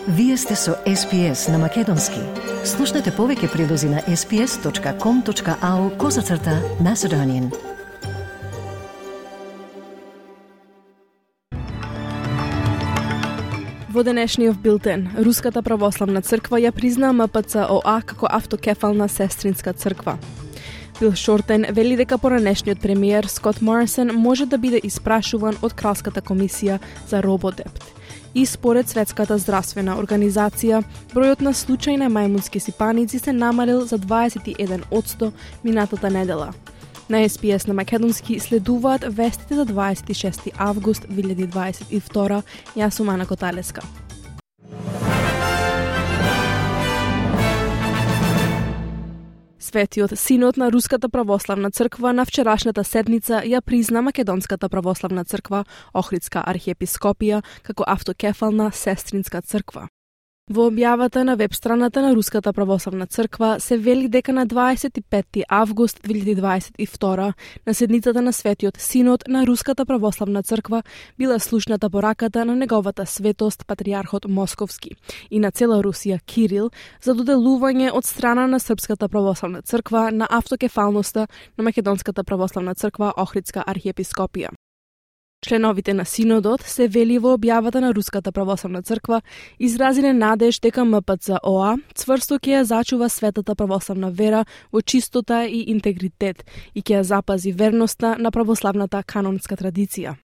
Вие сте со SPS на Македонски. Слушнете повеќе прилози на sps.com.au/Macedonian. Во денешниот билтен, Руската православна црква ја призна МПЦ-ОА како автокефална сестринска црква. Бил Шортен вели дека поранешниот премиер Скот Морисон може да биде испрашуван од Кралската комисија за рободепт. И според Светската здравствена организација, бројот на случаи на мајмунски сипаници се намалил за 21% минатата недела. На SPS на Македонски следуваат вестите за 26 август 2022. Јас сум Ана Коталеска. Светиот Синод на Руската православна црква на вчерашната седница ја призна Македонската православна црква, Охридска архиепископија, како автокефална сестринска црква. Во објавата на веб страната на Руската православна црква се вели дека на 25 август 2022 на седницата на Светиот Синод на Руската православна црква била слушната пораката на неговата светост патриархот Московски и на цела Русија Кирил за доделување од страна на Српската православна црква на автокефалноста на Македонската православна црква Охридска архиепископија. Членовите на Синодот, се вели во објавата на Руската православна црква, изразиле надеж дека МПЦ-ОА цврсто ќе ја зачува светата православна вера во чистота и интегритет и ќе ја запази верноста на православната канонска традиција.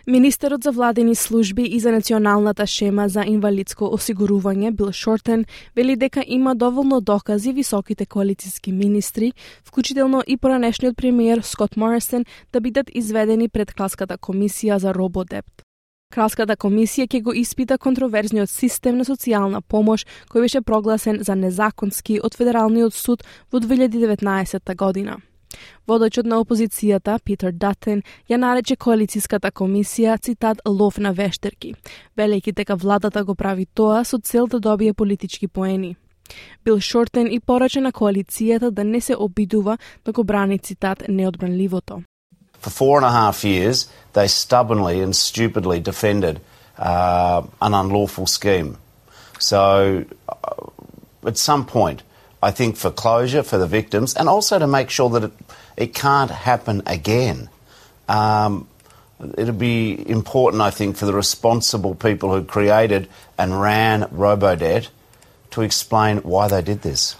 Министерот за владени служби и за националната шема за инвалидско осигурување Бил Шортен вели дека има доволно докази високите коалициски министри, вклучително и поранешниот премиер Скот Морисон, да бидат изведени пред Кралската комисија за рободепт. Кралската комисија ќе го испита контроверзниот систем на социјална помош кој беше прогласен за незаконски од Федералниот суд во 2019 година. Водачот на опозицијата, Питер Датен, ја нарече коалициската комисија, цитат, лов на вештерки, велејќи дека владата го прави тоа со цел да добие политички поени. Бил Шортен и порача на коалицијата да не се обидува да го брани, цитат, неодбранливото. For 4.5 years, they stubbornly and stupidly defended an unlawful scheme. So, at some point, I think for closure for the victims and also to make sure that it can't happen again. It'll be important, I think, for the responsible people who created and ran Robodebt to explain why they did this.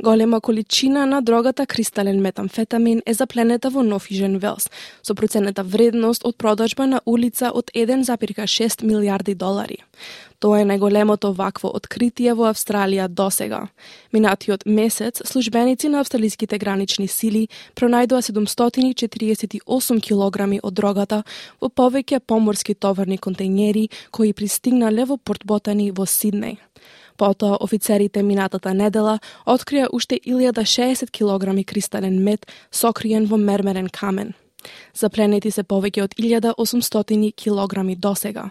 Голема количина на дрогата кристален метамфетамин е запленета во Нофижен Велс, со проценета вредност од продажба на улица од 1,6 милиарди долари. Тоа е најголемото вакво откритие во Австралија досега. Минатиот месец, службеници на австралиските гранични сили пронајдоа 748 килограми од дрогата во повеќе поморски товарни контејнери кои пристигнале во Порт Ботани во Сиднеј. Потоа офицерите минатата недела открија уште 1060 килограми кристален мед сокриен во мермерен камен. Запленети се повеќе од 1800 килограми досега.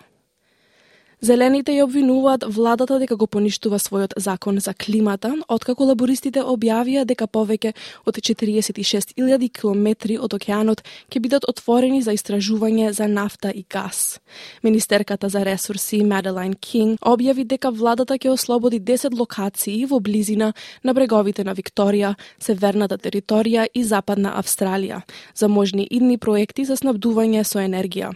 Зелените ја обвинуваат владата дека го поништува својот закон за климата, откако лабористите објавија дека повеќе од 46.000 километри од океанот ќе бидат отворени за истражување за нафта и газ. Министерката за ресурси Маделайн Кинг објави дека владата ќе ослободи 10 локации во близина на бреговите на Викторија, северната територија и западна Австралија за можни идни проекти за снабдување со енергија.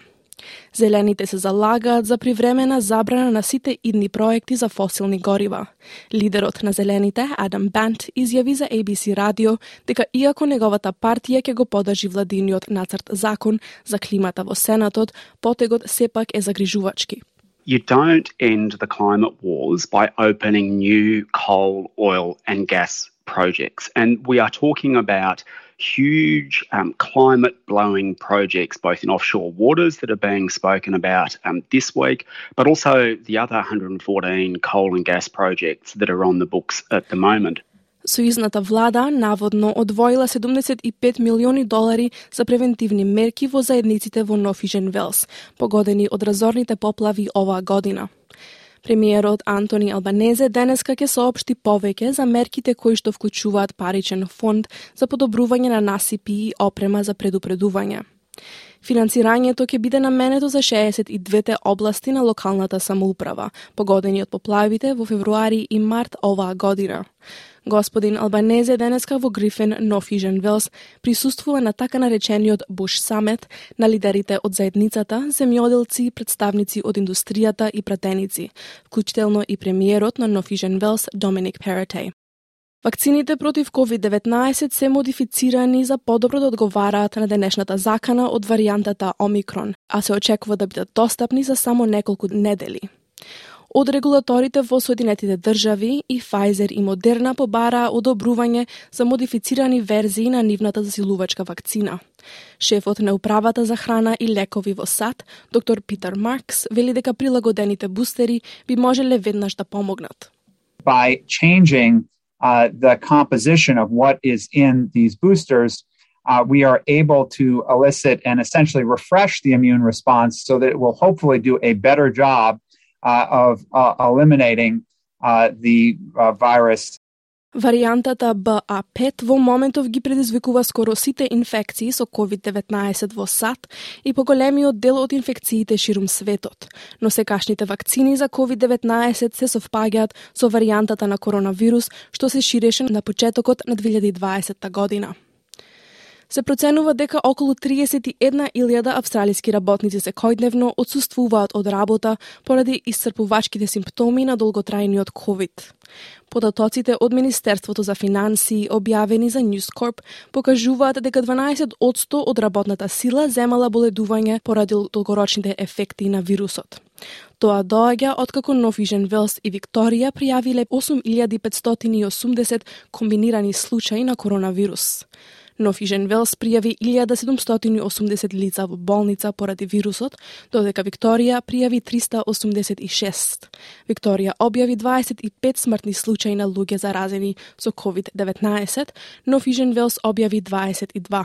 Зелените се залагаат за привремена забрана на сите идни проекти за фосилни горива. Лидерот на Зелените, Адам Бант, изјави за ABC радио дека иако неговата партија ќе го подржи владиниот нацрт закон за климата во Сенатот, потегот сепак е загрижувачки. You don't end the climate wars by opening new coal, oil and gas projects. And we are talking about huge climate-blowing projects, both in offshore waters that are being spoken about this week, but also the other 114 coal and gas projects that are on the books at the moment. Сојузната влада наводно одвоила 75 милиони долари за превентивни мерки во заедниците во Нофижен Велс, погодени од разорните поплави оваа година. Премиерот Антони Албанезе денеска ќе соопшти повеќе за мерките кои што вклучуваат паричен фонд за подобрување на насипи и опрема за предупредување. Финансирањето ќе биде наменето за 62 области на локалната самоуправа, погодени од поплавите во февруари и март оваа година. Господин Албанезе денеска во Грифен, North East Wales, присуствува на така наречениот Bush Summit на лидерите од заедницата, земјоделци, представници од индустријата и пратеници, вклучително и премиерот на North East Wales, Dominic Perrottet. Вакцините против COVID-19 се модифицирани за подобро да одговараат на денешната закана од варијантата Омикрон, а се очекува да бидат достапни за само неколку недели. Од регулаторите во Соединетите држави и Pfizer и Moderna побараа одобрување за модифицирани верзии на нивната засилувачка вакцина. Шефот на управата за храна и лекови во САД, доктор Питер Маркс, вели дека прилагодените бустери би можеле веднаш да помогнат. By changing the composition of what is in these boosters, we are able to elicit and essentially refresh the immune response so that it will hopefully do a better job of eliminating the virus. Варијантата BA.5 во моментов ги предизвикува скоро сите инфекции со COVID-19 во САД и поголемиот дел од инфекциите ширум светот. Но секашните вакцини за COVID-19 се совпаѓаат со варијантата на коронавирус што се ширеше на почетокот на 2020 година. Се проценува дека околу 31.000 австралиски работници секојдневно отсуствуваат од работа поради исцрпувачките симптоми на долготрајниот COVID. Податоците од Министерството за финансии објавени за News Corp покажуваат дека 12% од работната сила земала боледување поради долгорочните ефекти на вирусот. Тоа доаѓа откако North East Wales и Викторија пријавиле 8.580 комбинирани случаи на коронавирус. North East Wales пријави 1.780 лица во болница поради вирусот, додека Викторија пријави 386. Викторија објави 25 смртни случаи на луѓе заразени со COVID-19, North East Wales објави 22.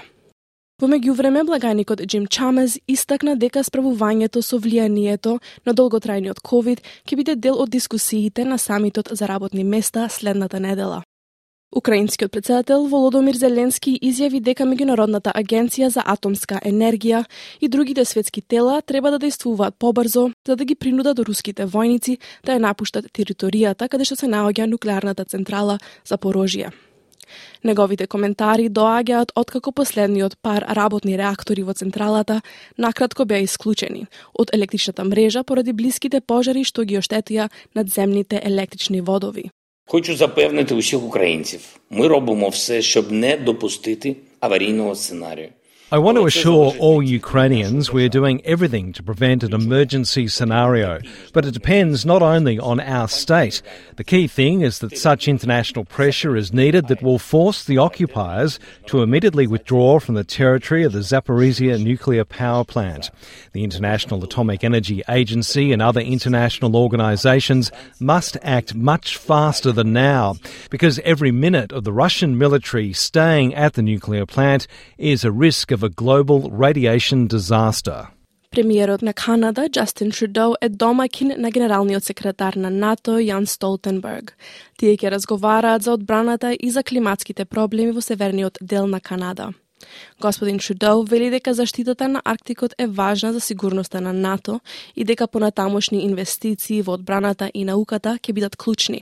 Во меѓувреме, благаникот Джим Чамез истакна дека справувањето со влијанието на долготрајниот COVID ќе биде дел од дискусиите на самитот за работни места следната недела. Украинскиот претседател Володомир Зеленски изјави дека Меѓународната агенција за атомска енергија и другите светски тела треба да действуваат побрзо за да ги принудат руските војници да ја напуштат територијата каде што се наоѓа нуклеарната централа Запорожје. Неговите коментари доаѓаат откако последниот пар работни реактори во централата накратко беа исклучени од електричната мрежа поради блиските пожари што ги оштетија надземните електрични водови. Хочу запевнити усіх українців, ми робимо все, щоб не допустити аварійного сценарію. I want to assure all Ukrainians we're doing everything to prevent an emergency scenario, but it depends not only on our state. The key thing is that such international pressure is needed that will force the occupiers to immediately withdraw from the territory of the Zaporizhzhia nuclear power plant. The International Atomic Energy Agency and other international organisations must act much faster than now, because every minute of the Russian military staying at the nuclear plant is a risk of a global radiation disaster. Премиерот на Канада, Джастин Трудоу, е домаќин на генералниот секретар на НАТО, Јан Столтенберг. Тие ќе разговараат за одбраната и за климатските проблеми во северниот дел на Канада. Господин Трудоу вели дека заштитата на Арктикот е важна за сигурноста на НАТО и дека понатамошни инвестиции во одбраната и науката ќе бидат клучни.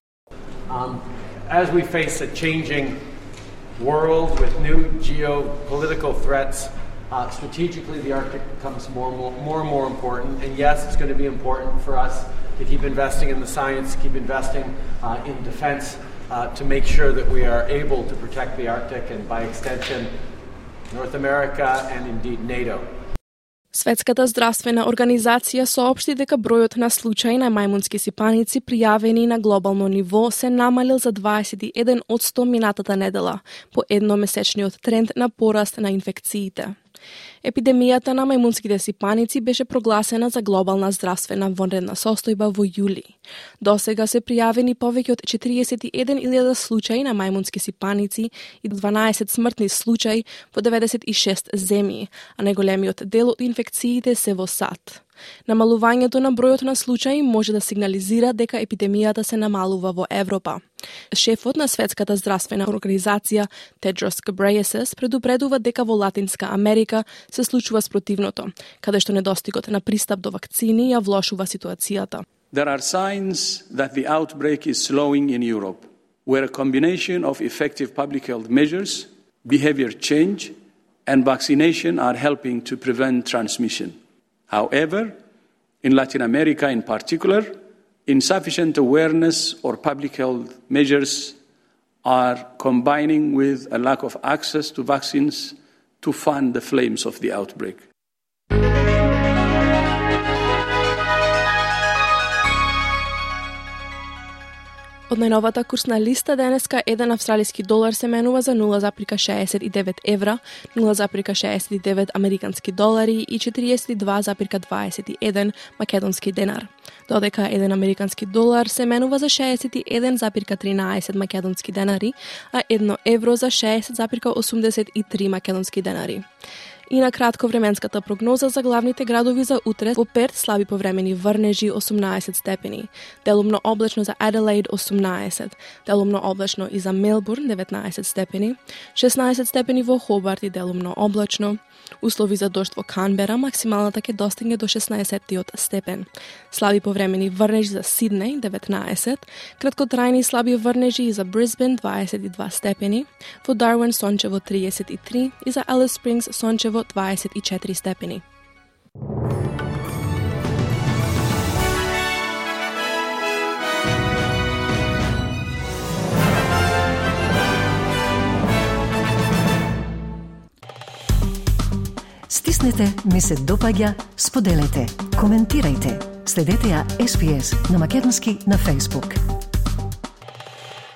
As we face a changing world with new geopolitical threats, strategically the Arctic becomes more and more important. And yes, it's going to be important for us to keep investing in the science, keep investing in defense, to make sure that we are able to protect the Arctic and by extension North America and indeed NATO. Светската здравствена организација соопшти дека бројот на случаи на мајмунски сипаници пријавени на глобално ниво се намалил за 21% минатата недела, по едномесечниот тренд на пораст на инфекциите. Епидемијата на мајмунските сипаници беше прогласена за глобална здравствена вонредна состојба во јули. Досега се пријавени повеќе од 41.000 случаи на мајмунски сипаници и 12 смртни случаи во 96 земји, а најголемиот дел од инфекциите се во САД. Намалувањето на бројот на случаи може да сигнализира дека епидемијата се намалува во Европа. Шефот на Светската здравствена организација Tedros Ghebreyesus предупредува дека во Латинска Америка се случува спротивното, каде што недостигот на пристап до вакцини ја влошува ситуацијата. There are signs that the outbreak is slowing in Europe, where a combination of effective public health measures, behavior change, and vaccination are helping to prevent transmission. However, in Latin America in particular, insufficient awareness or public health measures are combining with a lack of access to vaccines to fan the flames of the outbreak. Од најновата курсна листа денеска, 1 австралиски долар се менува за 0,69 евра, 0,69 американски долари и 42,21 македонски денар. Додека 1 американски долар се менува за 61,13 македонски денари, а 1 евро за 60,83 македонски денари. И на кратко временската прогноза за главните градови за утре: во Перт слаби повремени врнежи 18 степени, делумно облачно за Аделаид 18, делумно облачно и за Мелбурн 19 степени, 16 степени во Хобарт и делумно облачно, услови за дожд во Канбера, максималната ќе достигне до 16 степен. Слаби повремени врнежи за Сиднеј 19, краткотрајни слаби врнежи и за Брисбен 22 степени, во Дарвин сончево 33 и за Алис Спрингс сончево 24 степени. Стиснете, ми се допаѓа, споделете, коментирајте. Следете ја SPS на македонски на Facebook.